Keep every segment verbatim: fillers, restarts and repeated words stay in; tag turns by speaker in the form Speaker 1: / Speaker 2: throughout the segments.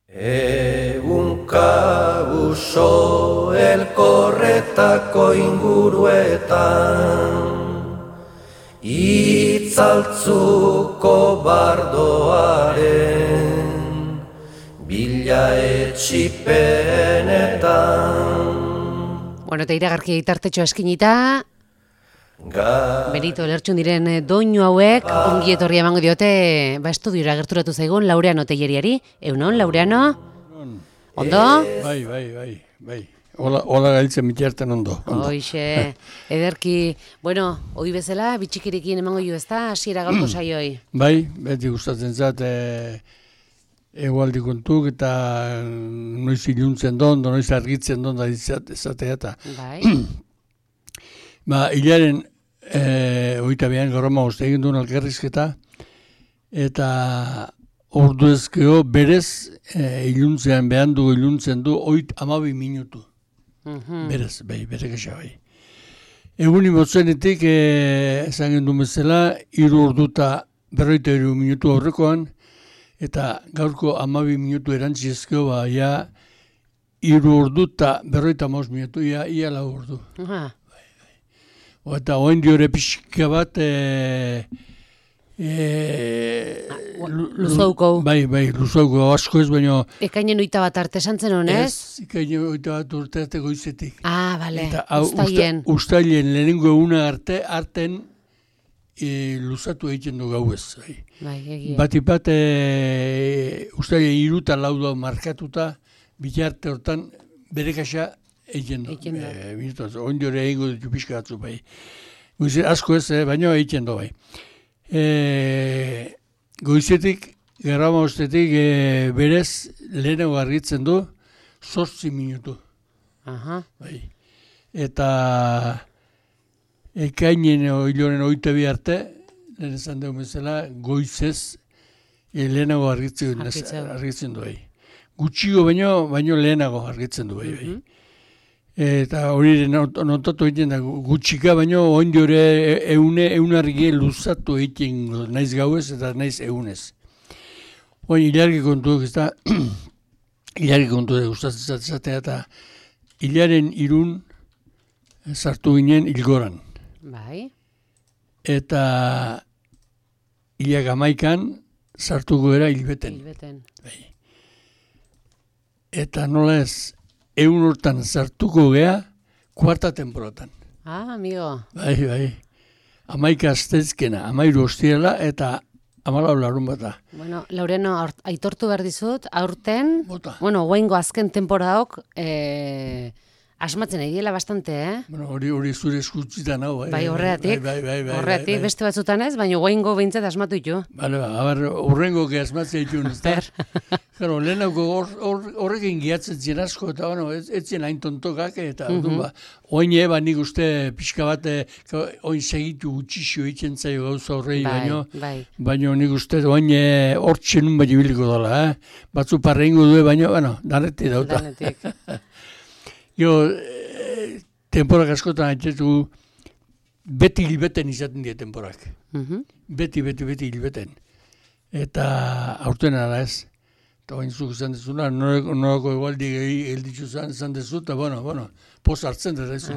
Speaker 1: Egunka uso elkorretako inguruetan, itzaltzuko bardoaren bila etxipenetan.
Speaker 2: Bueno, eta iragarki itartetxo eskinita, Benito Lertxun diren doinu hauek ongi etorria emango diote, ba estudiora gerturatu zaigun Laureano Telleriari. Eunon, Laureano? Ondo?
Speaker 3: Bai, bai, bai, bai. Hola, hola gailtzen mitjarten ondo.
Speaker 2: Hoixe, ederki, bueno, hoi bezala, bitxikirikin emango jo ezta, hasiera gaurko saioi.
Speaker 3: Bai, beti gustatzen zat, e, egualdi kontuk eta noiz iluntzen don, noiz argitzen don da izatea eta.
Speaker 2: Bai.
Speaker 3: Ba, hilaren e, oita behan gorroma uste egin duen alkerrizketa eta ordu ezkeo berez e, iluntzean behan du iluntzen du oit amabi minutu. Uh-huh. Berez, bai, bere kesa bai. Egun imotzenetik e, esan gendun bezala hiru orduta berroita hiru minutu aurrekoan eta gaurko amabi minutu erantzi ezkeo ba, ia hiru orduta berroita maus minutu, ia, ia lau ordu.
Speaker 2: Uh-huh.
Speaker 3: Eta oen diore pixka bat e, e,
Speaker 2: luzauko.
Speaker 3: Bai, bai, luzauko asko ez, baina...
Speaker 2: Ekainen oita bat arte santzen honez?
Speaker 3: Ez, ekainen oita bat urte arte goizetik.
Speaker 2: Ah, bale,
Speaker 3: ustaien. Ustaien lehenengo eguna arte, arten e, luzatu egiten du gauez. Bai.
Speaker 2: Bai, egia.
Speaker 3: Batipat e, ustaien iruta lauda markatuta, bitarte hortan bere kasa egiten du. E, Oin diore egingo ditu pixka batzu bai. Goize, asko ez, eh, baina egiten du bai. E, goizetik, garrama ustetik, e, berez lehenago argitzen du, zortzi minutu.
Speaker 2: Aha.
Speaker 3: Bai. Eta ekainen hiloren oita bi arte, lehen esan dugu bezala, goizez e, lehenago argitzen, argitzen du bai. Gutxigo baino, baino lehenago argitzen du bai. bai. Eta hori notatu egiten da gutxika, baina oin diore eune, eunargie luzatu egiten naiz gauez eta naiz eunez. Oin hilargi kontuak ez da, hilargi kontuak gustatzen zatea eta hilaren irun sartu ginen hilgoran.
Speaker 2: Bai.
Speaker 3: Eta hilak amaikan sartuko era hilbeten.
Speaker 2: Hilbeten.
Speaker 3: Bai. Eta nola ez, egun hortan sartuko gea, kuarta temporatan.
Speaker 2: Ah, amigo.
Speaker 3: Bai, bai. Amaika astezkena, amairu ostiela eta amalau larun bata.
Speaker 2: Bueno, Laureano, aitortu behar dizut, aurten,
Speaker 3: Bota.
Speaker 2: bueno, guaingo azken temporaok, eh, asmatzen egiela bastante, eh?
Speaker 3: Bueno, hori hori zure eskutzitan hau.
Speaker 2: Bai, horreatik,
Speaker 3: bai, bai, bai,
Speaker 2: horreatik,
Speaker 3: bai, bai.
Speaker 2: beste batzutan ez, baina guaingo behintzat asmatu ditu.
Speaker 3: Bale, ba, abar, horrengo que asmatzea ditun, ez da? Claro, lehenako horrekin giatzen zien asko, eta bueno, ez, ez zien hain tontokak, eta uh -huh. ba, oin eba nik uste pixka bat, oin segitu gutxixo egiten zaio gauza horrei,
Speaker 2: bai,
Speaker 3: baino,
Speaker 2: bai.
Speaker 3: baino nik uste oin hortxe nun bai ibiliko dela, eh? Batzu parreingo du, baino, bueno, danetik dauta.
Speaker 2: Danetik.
Speaker 3: Jo, e, temporak askotan haitzetu, beti hilbeten izaten dira temporak.
Speaker 2: Uh -huh.
Speaker 3: Beti, beti, beti hilbeten. Eta aurten ara ez. Eta bain zuk izan dezuna, norako egualdi gelditzu izan dezu, eta bueno, bueno, poz hartzen dut ez.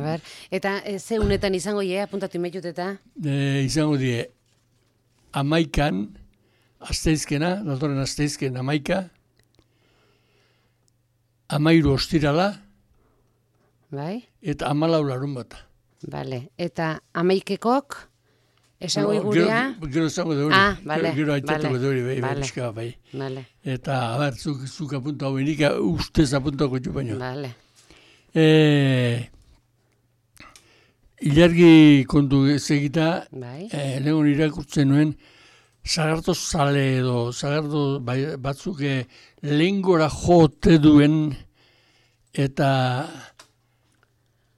Speaker 2: Eta e, ze unetan izango je, apuntatu imetut eta?
Speaker 3: E, izango die, amaikan, asteizkena, datorren asteizken amaika, amairu ostirala,
Speaker 2: bai?
Speaker 3: Eta amalau larun bata.
Speaker 2: Bale, eta amaikekok, esango igurea?
Speaker 3: Gero esango da hori.
Speaker 2: Ah, bale,
Speaker 3: Gero aitzatuko da hori, bai,
Speaker 2: vale.
Speaker 3: Pixka, bai.
Speaker 2: Vale.
Speaker 3: Eta, abar, zuk, zuk apunta hau benik, ustez apuntako txu baino.
Speaker 2: Vale.
Speaker 3: E, ilargi kontu segita,
Speaker 2: bai.
Speaker 3: e, legon irakurtzen nuen, zagarto zale edo, zagarto bai, batzuk e, lehengora jote duen, eta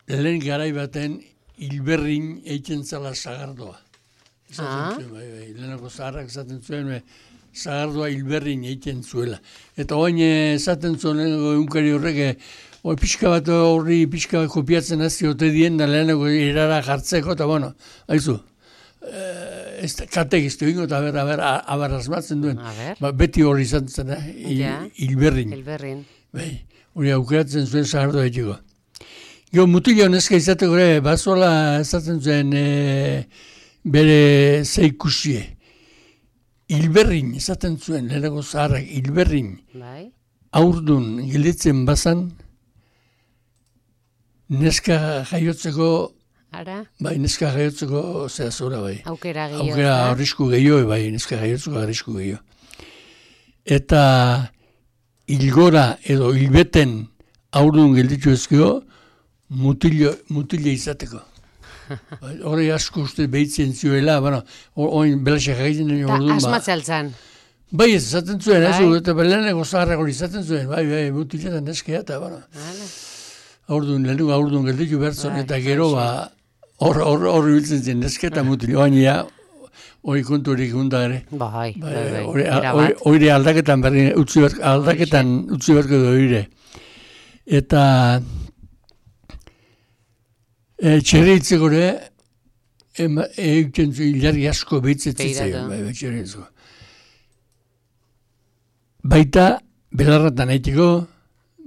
Speaker 3: lehen garai baten hilberrin eitzen zala zagardoa.
Speaker 2: Ah.
Speaker 3: Zuen, bai, bai. Lehenako zaharrak esaten zuen, zagardoa hilberrin eitzen zuela. Eta oin esaten zuen lehenako eunkari horrek, Hoi pixka bat horri pixka bat kopiatzen hasi ote dien da lehenako erara jartzeko, eta bueno, haizu, ez da, kategiztu ingo, eta ber, aber, aber asmatzen duen. Ba, beti hori izan zen, eh? Il,
Speaker 2: ja.
Speaker 3: Hilberrin.
Speaker 2: Hilberrin.
Speaker 3: Bai, hori aukeratzen zuen zahardo egiteko. Gio, mutilo neska izateko ere, bazola ezatzen zuen e, bere zeikusie. Hilberrin, esaten zuen, lehenako zaharrak, hilberrin.
Speaker 2: Bai.
Speaker 3: Aurdun gilditzen bazan, neska jaiotzeko,
Speaker 2: Ara?
Speaker 3: bai, neska jaiotzeko zehazora, bai.
Speaker 2: Aukera gehiago.
Speaker 3: Aukera arrisku gehiago, bai, neska jaiotzeko arrisku gehiago. Eta hilgora edo hilbeten aurdun gilditu ezkio, mutilio, mutilio izateko. Hori asko uste behitzen zioela, bueno, oin belaxak egiten den orduan.
Speaker 2: Eta asmatze altzan.
Speaker 3: Bai, ez izaten zuen, ez, eta leheneko zaharrak hori izaten zuen, bai, bai, mutiletan eskea, eta, bueno, aurdun, leheneko aurdun gelditu bertzon, eta gero, ba, hor biltzen zen, eskea eta mutile, baina, hori kontu hori gunda ere.
Speaker 2: Bai, bai, bai,
Speaker 3: hori aldaketan berri, aldaketan utzi berko du hori. Eta, E, txerri hitzeko ere, egiten zu hilarri asko behitzetzen zaio, bai, txerri hitzeko. Baita, belarratan egiteko,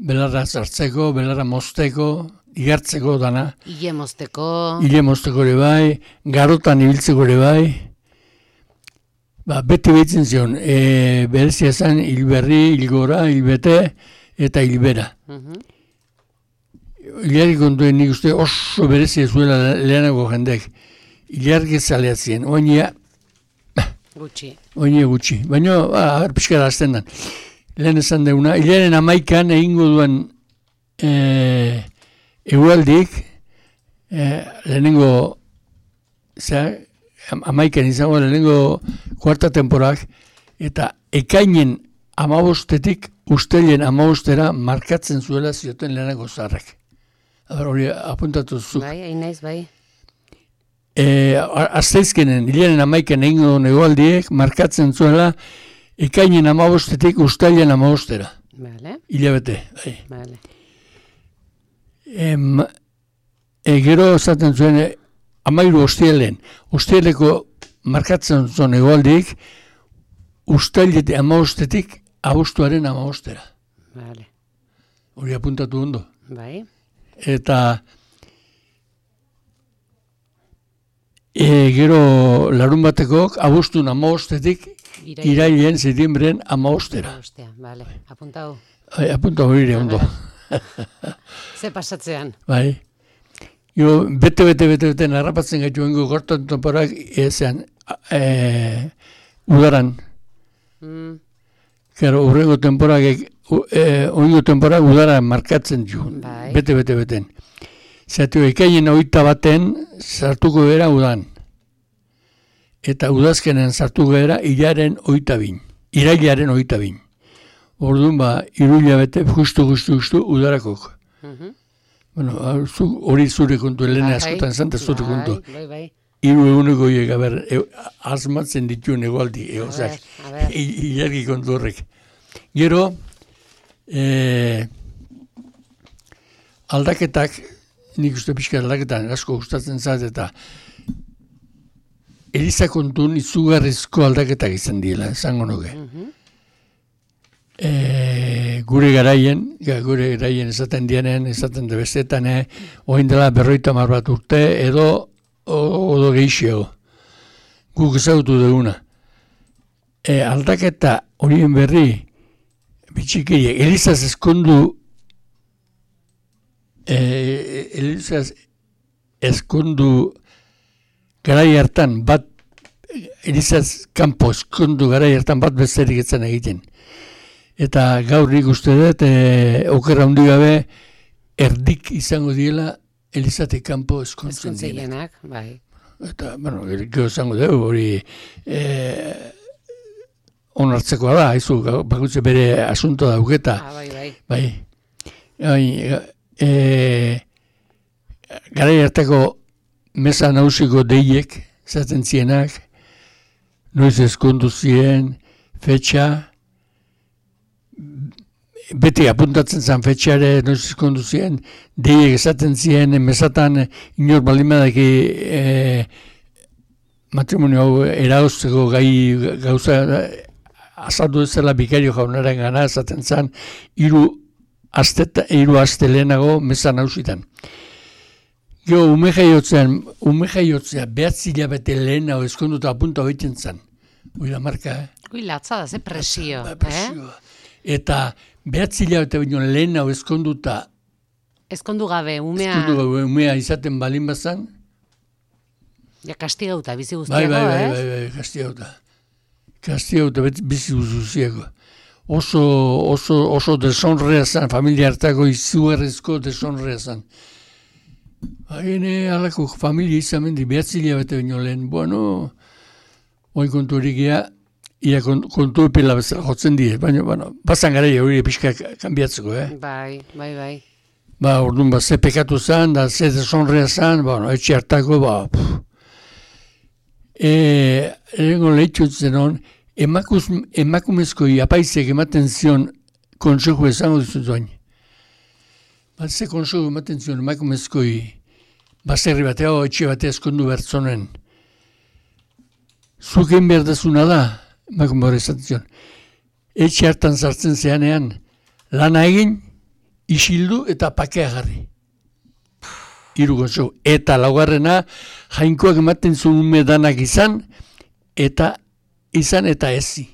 Speaker 3: belarra zartzeko, belarra mozteko, igartzeko dana.
Speaker 2: Ile mozteko.
Speaker 3: Ile mozteko ere bai, garotan ibiltzeko ere bai. Ba, beti behitzen zion, e, berezia zen hilberri, hilgora, hilbete eta hilbera. Uh-huh. Ilargi kontuen nik uste oso berezia zuela lehenago jendek. Ilargi zaleatzien, oinia...
Speaker 2: Gutxi.
Speaker 3: Oinia gutxi. Baina, ba, pixkara azten dan. Lehen esan deuna, hilaren amaikan egingo duen e, egualdik, e, lehenengo, zera, amaikan izango lehenengo kuarta temporak, eta ekainen amabostetik ustelen amabostera markatzen zuela zioten lehenago zaharrak. Hori apuntatu zuk.
Speaker 2: Bai, hain naiz, bai.
Speaker 3: E, Azteizkenen, hilaren amaiken egingo duen egualdiek, markatzen zuela, ekainen amabostetik ustailen amabostera.
Speaker 2: Vale.
Speaker 3: Hilabete, bai.
Speaker 2: Vale.
Speaker 3: Em, e, gero esaten zuen, amairu ostielen, ostieleko markatzen zuen egualdiek, ustailete amabostetik abuztuaren amabostera.
Speaker 2: Vale.
Speaker 3: Hori apuntatu ondo.
Speaker 2: Bai.
Speaker 3: Eta e, gero larun batekok abuztun amabostetik irailen zetiembren amabostera.
Speaker 2: Amabostea, bale, apuntau.
Speaker 3: Bai, apuntau hori ondo.
Speaker 2: Ze pasatzean.
Speaker 3: Bai. Jo, bete, bete, bete, bete, narrapatzen gaitu bengo gortan temporak ezean e, udaran. Mm. Gero, urrengo temporak E, oingo temporak udara markatzen du, bai. bete, bete, beten. Zatu, ekainen oita baten sartuko gara udan. Eta udazkenen sartuko gara hilaren oita bin. Irailaren oita bin. Orduan ba, iruila bete, justu, justu, justu, udarakok. Uh-huh. Bueno, hori zure kontu, Elena bai, askotan zanta zure kontu. Bai, bai. Iru eguneko hiek, aber, e, asmatzen dituen egualdi, egozak. Ilargi kontu horrek. Gero, E, aldaketak, nik uste pixka aldaketan asko gustatzen zait, eta Eliza kontun izugarrizko aldaketak izan dira, esango nuke. Uh-huh. e, gure garaien, ja, gure garaien esaten dienen, esaten de bestetan, eh, oin dela berroita mar bat urte, edo odo geixio. Guk ezagutu duguna. E, aldaketa horien berri, bitxikeriak, Elizaz eskondu, eh, Elizaz eskondu garai hartan bat, Elizaz kanpo eskondu garai hartan bat besterik etzan egiten. Eta gaur nik uste dut, eh, okerra hundi gabe, erdik izango diela Elizatik kanpo eskontzen
Speaker 2: dira. Bai.
Speaker 3: Eta, bueno, gero izango dugu, hori... Eh, onartzekoa da, haizu, bakutze bere asunto dauketa.
Speaker 2: Ah, bai, bai.
Speaker 3: Bai. Bai, e, garai hartako mesa nausiko deiek, zaten zienak, noiz eskondu zien, fetxa, beti apuntatzen zen fetxare, noiz eskondu zien, deiek esaten zien, mesatan inor balimadaki e, matrimonio hau erauzteko gai gauza azaldu ezela bikario jaunaren gana esaten zen hiru aste hiru aste lehenago mezan hausitan. Gero ume jaiotzean, ume jaiotzea behatzi hilabete lehenago eskonduta apunta hoiten zen. Ui la marka, eh?
Speaker 2: Ui, latza da, ze presio.
Speaker 3: Ba, presio. Eh? Eta behatzi hilabete baino lehenago eskonduta
Speaker 2: Ezkondu gabe, umea...
Speaker 3: Ezkondu gabe, umea izaten balin bazan.
Speaker 2: Ja, kastigauta, bizi
Speaker 3: Bai,
Speaker 2: guztiago,
Speaker 3: bai, bai,
Speaker 2: eh?
Speaker 3: bai, bai, kastigauta. Kastigauta bizi guztiago. Oso, oso, oso deshonrea zan, familia hartako izugarrizko deshonrea zan. Haine alako familia izan mendi, behatzi hilabete baino lehen, bueno, oin kontu horiek ea, ia kontu epela bezala jotzen die, baina, bueno, bazan gara hori pixka kanbiatzeko, eh?
Speaker 2: Bai, bai, bai.
Speaker 3: Ba, orduan, ba, ze pekatu zan, da, ze deshonrea zan, bueno, etxe hartako, ba, pff. E, erengo lehitxutzen hon, emakuz, emakumezkoi apaizek ematen zion konsejo esango dizut doain. Ba, ze konsejo ematen zion emakumezkoi baserri batea, o etxe batea eskondu bertzonen. Zuken behar dezuna da, emakume hori esaten zion. Etxe hartan sartzen zeanean, lana egin, isildu eta pakea jarri. Hiru konsejo. Eta laugarrena, jainkoak ematen zuen ume danak izan, eta izan eta ezi.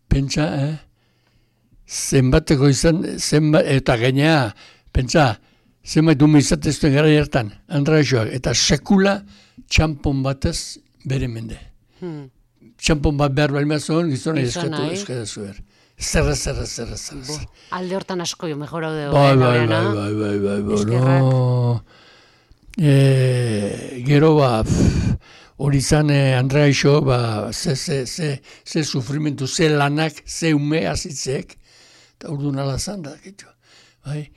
Speaker 3: Pentsa, eh? Zenbateko izan, zenbat, eta gainea, pentsa, zenbait ume izatezten gara hartan, andraixoak, eta sekula txampon batez bere mende. Hmm. Txampon bat behar balima zuen, gizona eskatu eskatu zuer. Zerra, zerra, zerra, zerra.
Speaker 2: Alde hortan asko jo, mejor hau dugu.
Speaker 3: Bai, bai, bai, bai, bai, bai, bai, no. E, gero, ba, hori zan, eh, Andrea Ixo, ba, ze, ze, ze, ze sufrimentu, ze lanak, ze ume azitzek, eta urdu nala zan da, gitu. Bai,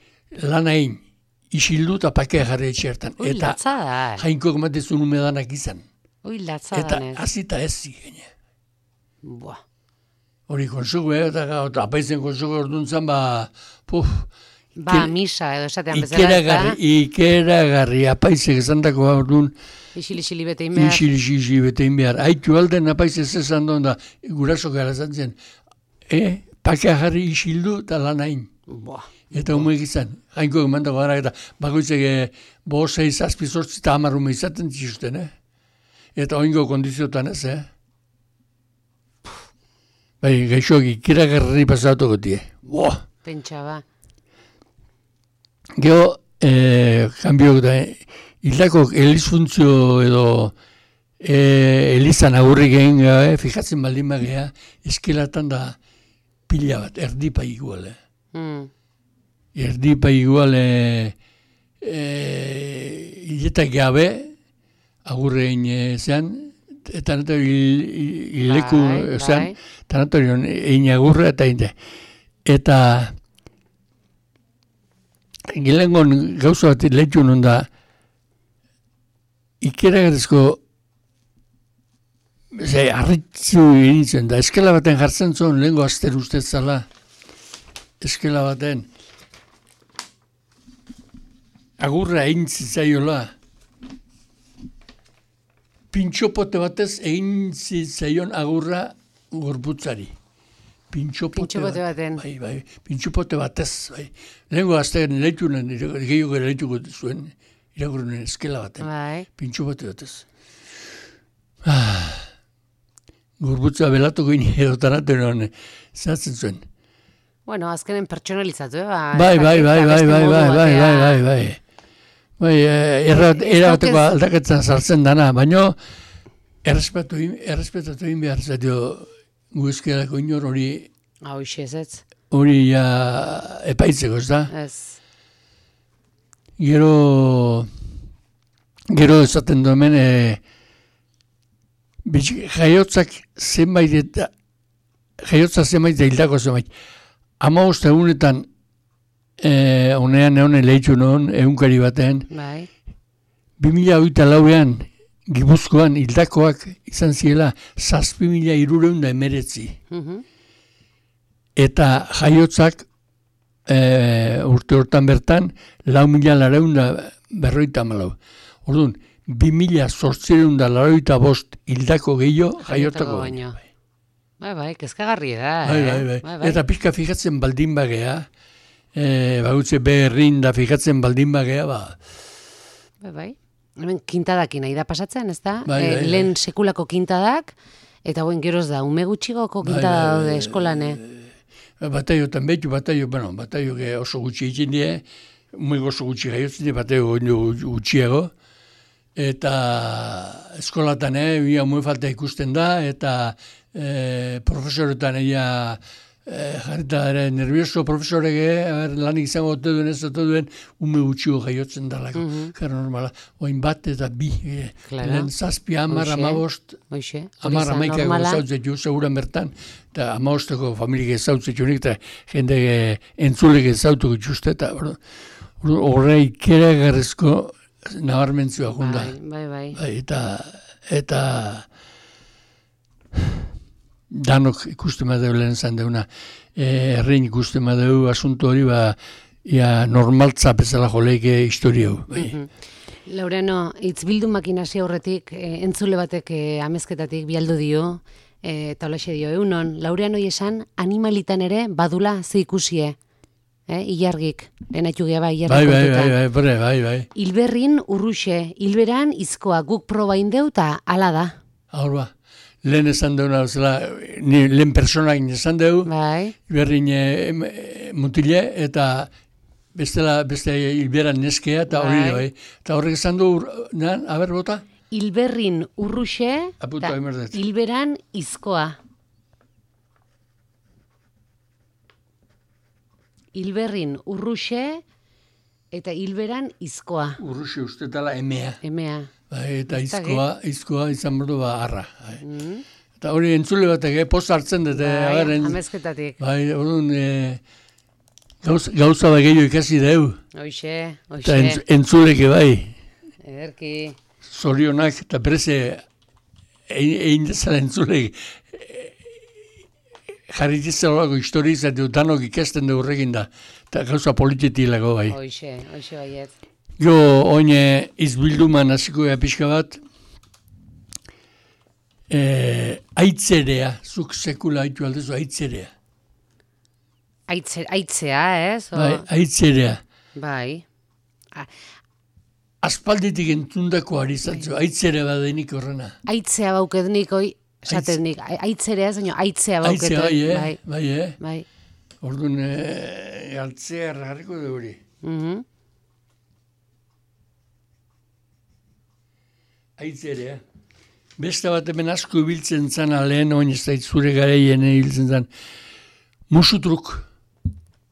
Speaker 3: lanain, isildu eta pakea jarri etxertan.
Speaker 2: Ui,
Speaker 3: eta
Speaker 2: latza da.
Speaker 3: jainkoak matezun ume danak izan.
Speaker 2: Ui, latza da.
Speaker 3: Eta azita ez zigene.
Speaker 2: Buah.
Speaker 3: Hori konsugu, eh? Eta apaizen konsugu orduan zan, ba, puf.
Speaker 2: Ba,
Speaker 3: Ike,
Speaker 2: misa edo esatean bezala.
Speaker 3: Ikeragarri, ikeragarri, apaizek esandako orduan.
Speaker 2: Isili-isili betein behar.
Speaker 3: Isili-isili betein behar. Aitu alden apaizek esan duen da, guraso gara zantzen. Eh, pakea jarri isildu eta lanain.
Speaker 2: Buah.
Speaker 3: Eta umeek izan. Jainko emandako gara eta bakoitzek bo, sei, zazpi, zortzi eta hamar ume izaten txisten, eh? Eta oingo kondiziotan ez, eh? Bai, gaixoak ikeragarri pasatuko tie. Boa!
Speaker 2: Pentsa ba.
Speaker 3: Gero, eh, kanbiok da, hildako elizfuntzio edo eh, elizan agurri gehen, eh, fijatzen baldin bagea, eskelatan da pila bat, erdipa igual. Eh.
Speaker 2: Mm.
Speaker 3: Erdipa igual, eh, eh, hiletak gabe, agurrein eh, zean, eta natori hileku,
Speaker 2: bai,
Speaker 3: zean,
Speaker 2: bai.
Speaker 3: eta natori egin agurra eta egin. Eta gilengon gauza bat lehitu non da, ikeragarrizko ze, arritzu iritzen da, eskela baten jartzen zuen lehenko aster ustez zala, eskela baten agurra egin zitzaiola, pintxopote batez egin zitzaion agurra gorputzari. Pintxopote,
Speaker 2: Pintxopote baten.
Speaker 3: Bai, bai, pintxopote batez. Bai. Lehenko aztean lehitunen, gehiago lehituko zuen, iragurunen eskela baten.
Speaker 2: Bai.
Speaker 3: Pintxopote batez. Ah, gorputza belatuko ini edo tanaten zatzen zuen.
Speaker 2: Bueno, azkenen pertsonalizatu, eh? Ba,
Speaker 3: Bai, bai, bai, bai, bai, bai, bai, bai, bai, bai. Bai, erabateko aldaketzen sartzen dana, baina errespetatu egin behar zatio guzkiarako inor hori
Speaker 2: hau isezet.
Speaker 3: Hori ja epaitzeko, ez da?
Speaker 2: Ez.
Speaker 3: Gero gero esaten du hemen e, jaiotzak zenbait eta jaiotza zenbait eta hildako zenbait. Hamabost egunetan e, honean egon lehitzu non egunkari batean.
Speaker 2: Bai.
Speaker 3: Bi mila hogeita lauean Gipuzkoan hildakoak izan ziela zazpi mila hirureun da emeretzi.
Speaker 2: Mhm.
Speaker 3: Eta jaiotzak e, urte hortan bertan lau mila lareun da berroita malau. Orduan, bi mila zortziehun eta laurogeita bost hildako gehiago jaiotako baino.
Speaker 2: Bai, bai, kezkagarri da.
Speaker 3: Bai,
Speaker 2: eh?
Speaker 3: bai, bai.
Speaker 2: bai, bai.
Speaker 3: Eta pixka fijatzen baldin bagea, e, bagutze beherrin da fijatzen baldin bagea, ba...
Speaker 2: Bai, bai. Hemen kintadakin nahi da pasatzen, ez da?
Speaker 3: Bai, bai,
Speaker 2: e, lehen sekulako kintadak, eta guen geroz da, ume gutxigoko kintada
Speaker 3: bai,
Speaker 2: daude
Speaker 3: bai,
Speaker 2: eskolane.
Speaker 3: Bataiotan behitu, bataio, bueno, bataio oso gutxi egin die, ume oso gutxi gaiotzen die, bataio gutxiago, eta eskolatan, eh, ia ume falta ikusten da, eta eh, profesoretan eia eh, jarrita ere nervioso profesorege, lanik izango ote duen ez ote duen, ume gutxigo jaiotzen dalako, mm -hmm. Jara normala, oin bat eta bi, eh, lehen zazpi, amar, amabost, amar, amaikak ezautzet ju, seguran bertan, eta amabosteko familik ezautzet junik, eta jende eh, entzulek ezautuko juste, eta horrei kere garrizko nabarmentzua junda.
Speaker 2: Bai, bai,
Speaker 3: bai. Eta, eta danok ikusten badeu lehen zan deuna, errein ikusten badeu asunto hori, ba, ia normaltza bezala joleike historiau. Bai.
Speaker 2: Mm -hmm. Laureano, itzbildu makinazio horretik, e, entzule batek e, amezketatik bialdu dio, e, eta olaxe dio, eunon, Laureano esan animalitan ere badula ze ikusie. Eh, ilargik, enaitu geha bai, ilargik
Speaker 3: bai,
Speaker 2: kontutan.
Speaker 3: bai, bai, bai, bai, bai.
Speaker 2: Hilberrin urruxe, hilberan izkoa guk proba indeu eta ala da.
Speaker 3: Hor ba, lehen esan deuna, ni lehen personak esan deu,
Speaker 2: bai.
Speaker 3: Hilberrin e, mutile, eta bestela, beste hilberan neskea, eta hori bai. Bai. Eta horrek esan du, nan, haber bota?
Speaker 2: Hilberrin urruxe, eta hilberan izkoa. Hilberrin urruxe eta hilberan izkoa.
Speaker 3: Urruxe uste tala emea.
Speaker 2: Emea.
Speaker 3: Bai, eta izkoa, izkoa izan berdu ba arra. Bai. Mm. Eta hori entzule batek, eh, post hartzen dute.
Speaker 2: Bai, amezketatik.
Speaker 3: Bai, orduan, e, gauz, gauza da gehiago ikasi deu.
Speaker 2: Oixe, oixe.
Speaker 3: Eta entz, entzuleke bai.
Speaker 2: Ederki.
Speaker 3: Zorionak eta bereze egin dezala entzulek. Jarritizelako historia izateu, danok ikasten du horrekin da, eta gauza polititilako bai.
Speaker 2: Hoixe, hoixe baiet.
Speaker 3: Jo, oine izbilduman hasiko ea pixka bat, e, aitzerea, zuk sekula haitu aldezu, aitzerea.
Speaker 2: Aitze, aitzea, ez? O...
Speaker 3: Bai, aitzerea.
Speaker 2: Bai. A...
Speaker 3: Aspalditik entzundako ari zatzu, aitzere badenik horrena.
Speaker 2: Aitzea baukednik hoi, esateznik, aitzerea ez, aitzea bauketu.
Speaker 3: Aitzea, bai, eh? Bai, bai, eh?
Speaker 2: Bai.
Speaker 3: Orduan, e, altzea ergarriko du hori.
Speaker 2: Mhm.
Speaker 3: Aitzerea. Beste bat hemen asko ibiltzen zan, lehen oin ez da zure gareien ibiltzen zan, musutruk.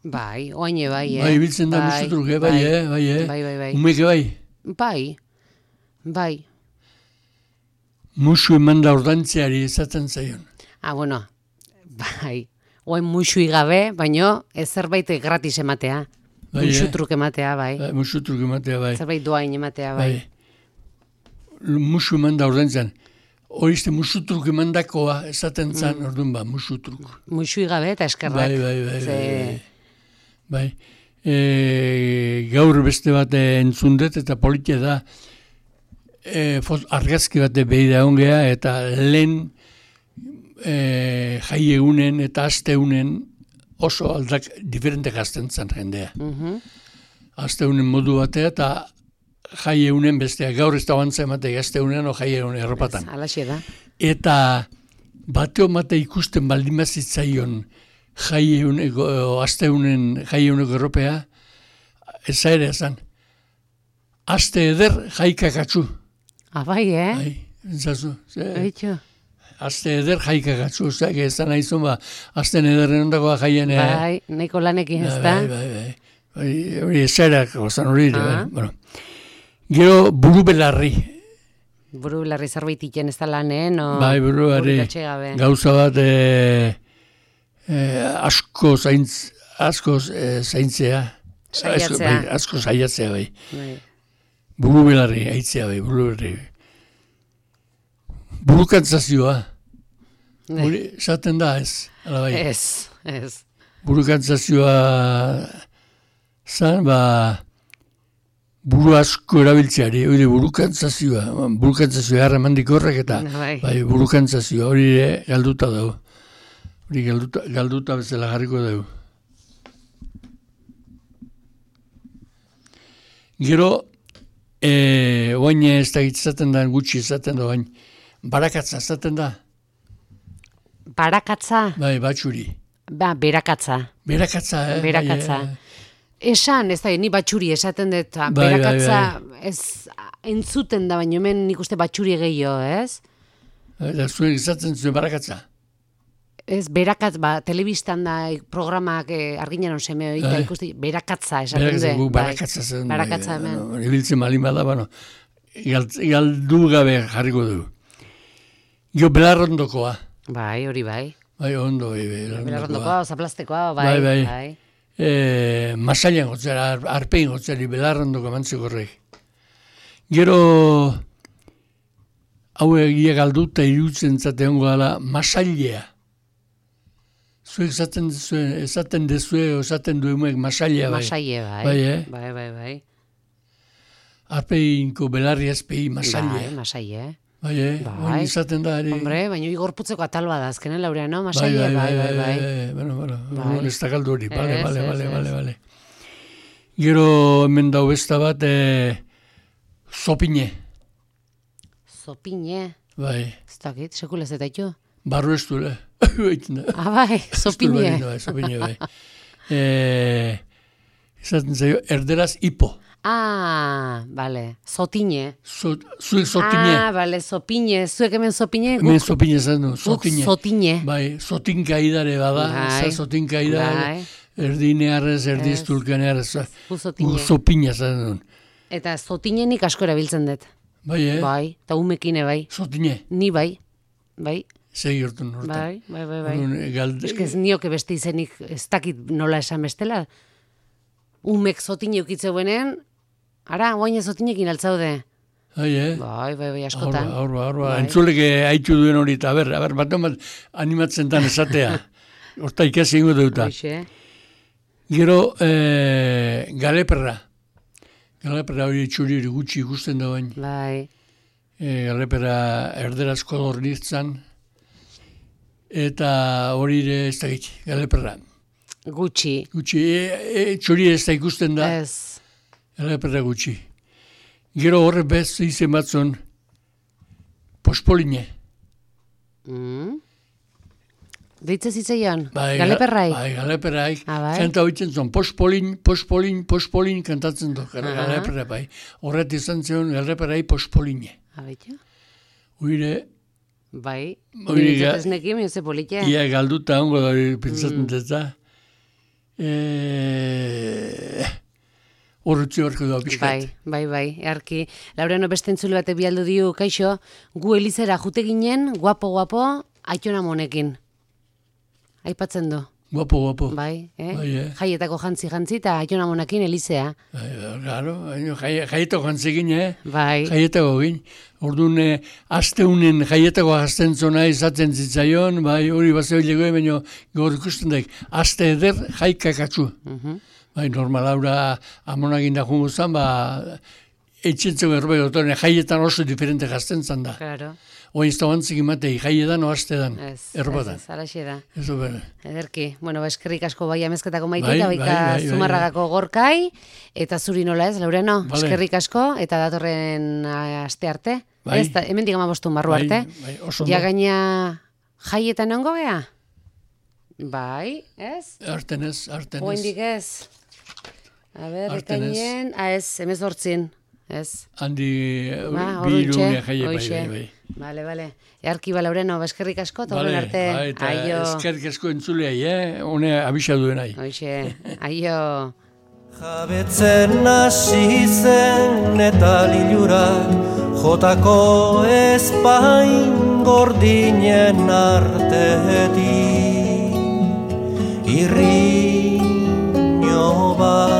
Speaker 2: Bai, oaine bai, eh?
Speaker 3: Bai, ibiltzen da
Speaker 2: bai,
Speaker 3: musutruk, eh? Bai, eh? Bai, eh?
Speaker 2: Bai, bai, bai.
Speaker 3: Umeke bai?
Speaker 2: Bai, bai.
Speaker 3: Musu eman da ordantzeari ezatzen zaion.
Speaker 2: Ah, bueno, bai. Oain musui gabe, baino ez zerbait gratis ematea. Bai, musutruk ematea, bai.
Speaker 3: Bai, musutruk ematea, bai.
Speaker 2: Zerbait doain ematea, bai.
Speaker 3: Bai. Musu eman da ordantzean. Horizte musutruk eman dakoa ezaten zan, mm. orduan ba, musutruk.
Speaker 2: Musui gabe eta eskerrak.
Speaker 3: Bai, bai, bai.
Speaker 2: Ze...
Speaker 3: bai. Bai. E, gaur beste bat entzundet eta politia da e, argazki bat behi da ongea eta lehen e, jai egunen eta aste egunen oso aldak diferente gazten zan jendea. Mm-hmm. Aste egunen modu batea eta jai egunen bestea gaur ez da bantza ematea aste egunen o jai egunen erropatan.
Speaker 2: Alaxe da.
Speaker 3: Eta bateo mate ikusten baldin bazitzaion jai eguneko, aste egunen jai eguneko erropea, ez ere esan. Aste eder jaikakatzu.
Speaker 2: Ah, bai, eh?
Speaker 3: Bai, entzazu.
Speaker 2: Eitxo.
Speaker 3: Aste eder jaikakatzu, zek ezan nahizun ba, aste ederren ondakoa jaien.
Speaker 2: Bai, nahiko lanekin ez da.
Speaker 3: Bai, bai, bai. Bai, hori ezerak, ozan hori, bai. Bueno. Gero buru belarri.
Speaker 2: Buru belarri zerbait iten ez da lanen, o...
Speaker 3: Bai, buru belarri. Gauza bat, e, e, asko zaintz, asko e, zaintzea.
Speaker 2: Saiatzea.
Speaker 3: Asko, bai, asko saiatzea, bai.
Speaker 2: Bai.
Speaker 3: Buru belarri, aitzea, bai, buru belarri. Burukantzazioa. Hori, esaten da, ez, ala bai.
Speaker 2: Ez, ez.
Speaker 3: Burukantzazioa zan, ba, buru asko erabiltzeari, hori burukantzazioa, burukantzazioa harremandik horrek eta
Speaker 2: Bai.
Speaker 3: bai, burukantzazioa hori ere galduta dago. Hori galduta, galduta bezala jarriko dugu. Gero, e, oain ez da izaten da, gutxi izaten da, oain, barakatza izaten da.
Speaker 2: Barakatza?
Speaker 3: Bai, batxuri.
Speaker 2: Ba, berakatza.
Speaker 3: Berakatza, eh?
Speaker 2: Berakatza.
Speaker 3: Bai, eh,
Speaker 2: Esan, ez da, ni batxuri esaten dut,
Speaker 3: Bai,
Speaker 2: berakatza
Speaker 3: bai,
Speaker 2: ez entzuten da, baina hemen nik uste batxuri gehiago, ez?
Speaker 3: Eta zuen izaten zuen barakatza.
Speaker 2: Ez, berakatz, ba, telebistan da programak eh, arginaron seme hori,
Speaker 3: Bai.
Speaker 2: ikusti, berakatza esaten
Speaker 3: Berakatza,
Speaker 2: dut.
Speaker 3: guk barakatza zen.
Speaker 2: Barakatza
Speaker 3: bai,
Speaker 2: hemen.
Speaker 3: bueno, Ibiltzen malin bada, bueno, galt- galdu gabe jarriko du. Jo, belarrondokoa.
Speaker 2: Bai, hori bai.
Speaker 3: Bai, ondo, bai, belarrondokoa.
Speaker 2: Belarrondokoa, zaplastekoa, bai.
Speaker 3: Bai, bai.
Speaker 2: bai.
Speaker 3: E, masailan gotzera, ar, arpein gotzeri, belarrondoko mantzeko horrek. Gero, hau egia galduta irutzen zate hongo dela, masailea. Zuek esaten dezue, esaten dezue, esaten duemuek masailea, bai.
Speaker 2: Masaile, bai.
Speaker 3: Bai, eh?
Speaker 2: Bai, bai, bai.
Speaker 3: Arpeinko belarri azpei masailea.
Speaker 2: Bai, masaile.
Speaker 3: Bai, eh?
Speaker 2: Bai.
Speaker 3: Oin izaten da, ere.
Speaker 2: Hombre, baina igorputzeko atal bada azkenen, Laureano, masaile, bai, bai, bai.
Speaker 3: Bueno, bueno,
Speaker 2: Bai.
Speaker 3: ez da galdu hori, bale,
Speaker 2: Ez,
Speaker 3: bale,
Speaker 2: ez,
Speaker 3: bale,
Speaker 2: ez.
Speaker 3: bale, bale. Gero hemen dau besta bat, e, zopine,
Speaker 2: Zopine,
Speaker 3: bai,
Speaker 2: ez dakit, sekulez eta ito.
Speaker 3: barru ez duela.
Speaker 2: Ah, bai, zopine.
Speaker 3: Bai, zopine, bai. E, izaten zaio, erderaz hipo.
Speaker 2: Ah, bale, zotine.
Speaker 3: Zut, zuek zotine.
Speaker 2: Ah, bale, zopine, zuek hemen zopine,
Speaker 3: Hemen
Speaker 2: guk,
Speaker 3: zopine zan du,
Speaker 2: guk
Speaker 3: zotine.
Speaker 2: zotine.
Speaker 3: Bai, zotinka idare bada,
Speaker 2: Bai.
Speaker 3: za zotinka idare,
Speaker 2: Bai.
Speaker 3: erdinearrez, erdiz
Speaker 2: Ez.
Speaker 3: tulkanearrez,
Speaker 2: Gu zotine.
Speaker 3: zopina zan duen.
Speaker 2: Eta zotine nik asko erabiltzen dut.
Speaker 3: Bai, eh?
Speaker 2: Bai, eta umekine bai.
Speaker 3: Zotine,
Speaker 2: Ni bai, bai,
Speaker 3: segi hortu nortan.
Speaker 2: bai, bai, bai, bai.
Speaker 3: Orduan, galde,
Speaker 2: Ez que ez nioke beste izenik, ez dakit nola esan bestela. Umek zotine ukitze buenen, ara, guain zotinekin altzaude.
Speaker 3: Bai, eh?
Speaker 2: Bai, bai, bai,
Speaker 3: Horba,
Speaker 2: askotan.
Speaker 3: horba, horba.
Speaker 2: Bai.
Speaker 3: Entzuleke haitu duen hori, eta ber, ber, bat bat animatzen tan esatea. Horta ikasi ingo deuta.
Speaker 2: Hoxe.
Speaker 3: Gero, eh, galeperra. Galeperra hori txuri hori gutxi ikusten da bain.
Speaker 2: Bai,
Speaker 3: E, galeperra erderazko dornitzan. Eta hori ere ez da gitzi, galeperra.
Speaker 2: gutxi.
Speaker 3: Gutxi, e, e, txuri ez da ikusten da.
Speaker 2: Ez.
Speaker 3: Galeperra gutxi. Gero horre bez izen batzun, pospoline.
Speaker 2: Mm. Deitze zitzaion,
Speaker 3: Bai,
Speaker 2: galeperrai.
Speaker 3: Bai, galeperrai.
Speaker 2: Ah, bai?
Speaker 3: Kanta hoitzen zon, pospolin, pospolin, pospolin kantatzen du,
Speaker 2: Aha.
Speaker 3: galeperra bai. Horret izan zion, galeperrai pospoline.
Speaker 2: Abeitu?
Speaker 3: Uire,
Speaker 2: Bai,
Speaker 3: Hori
Speaker 2: nire
Speaker 3: ga-
Speaker 2: ez nekin, mi ze politia.
Speaker 3: ia galduta hongo da hori pentsatzen
Speaker 2: Mm.
Speaker 3: dut da. E... Horretzi horreko da pixkat.
Speaker 2: Bai, bai, bai, earki. Laureano beste entzule bate bialdu diu, kaixo, gu elizera jute ginen, guapo, guapo, aitona monekin. Aipatzen du,
Speaker 3: Guapo, guapo.
Speaker 2: bai, eh?
Speaker 3: Bai, eh?
Speaker 2: Jaietako jantzi jantzi eta aitona monekin elizea.
Speaker 3: Bai, claro, jai- jaietako jantzegin, eh?
Speaker 2: Bai,
Speaker 3: Jaietako gin. Orduan, eh, asteunen jaietako azten zona izaten zitzaion, bai, hori bazeo legoe, baino gaur ikusten daik, aste eder jaikakatzu.
Speaker 2: mhm,
Speaker 3: Bai, normal haura amonagin da jungo zan, ba, etxentzeko erbei otoren, jaietan oso diferente jazten zan da.
Speaker 2: claro,
Speaker 3: Oin ez da bantzik imatei, jaietan o astedan,
Speaker 2: ez,
Speaker 3: erbadan.
Speaker 2: ez, ez, alaxe da.
Speaker 3: Ez du bera.
Speaker 2: Ederki, bueno, ba, eskerrik asko bai amezketako maite
Speaker 3: Bai,
Speaker 2: eta
Speaker 3: bai,
Speaker 2: baita
Speaker 3: bai, bai,
Speaker 2: Zumarragako gorkai, eta zuri nola ez, Laureano,
Speaker 3: Vale.
Speaker 2: eskerrik asko, eta datorren a, aste arte.
Speaker 3: Bai.
Speaker 2: Ez, da, hemen digama bostun barru
Speaker 3: Bai,
Speaker 2: arte.
Speaker 3: bai, oso ondo.
Speaker 2: Ja gaina jaietan ongo gea? Bai, ez?
Speaker 3: Arten ez, arten ez.
Speaker 2: Oendik ez? A ber,
Speaker 3: Arten ez.
Speaker 2: ekainen, ah ez, emezortzin, ez?
Speaker 3: Handi
Speaker 2: Ba,
Speaker 3: bi
Speaker 2: orduntxe,
Speaker 3: irune jaie, bai,
Speaker 2: hoxe.
Speaker 3: bai, bai.
Speaker 2: Bale, bale. Earki ba, Laureano, ba, eskerrik asko, eta horren
Speaker 3: Vale,
Speaker 2: arte.
Speaker 3: bai, eta
Speaker 2: Aio.
Speaker 3: eskerrik asko entzuleai, eh? Hone abisa duen nahi.
Speaker 2: Hoxe, aio.
Speaker 1: Jabetzen hasi zen eta lilurak jotako ezpain gordinen artetik irriño bat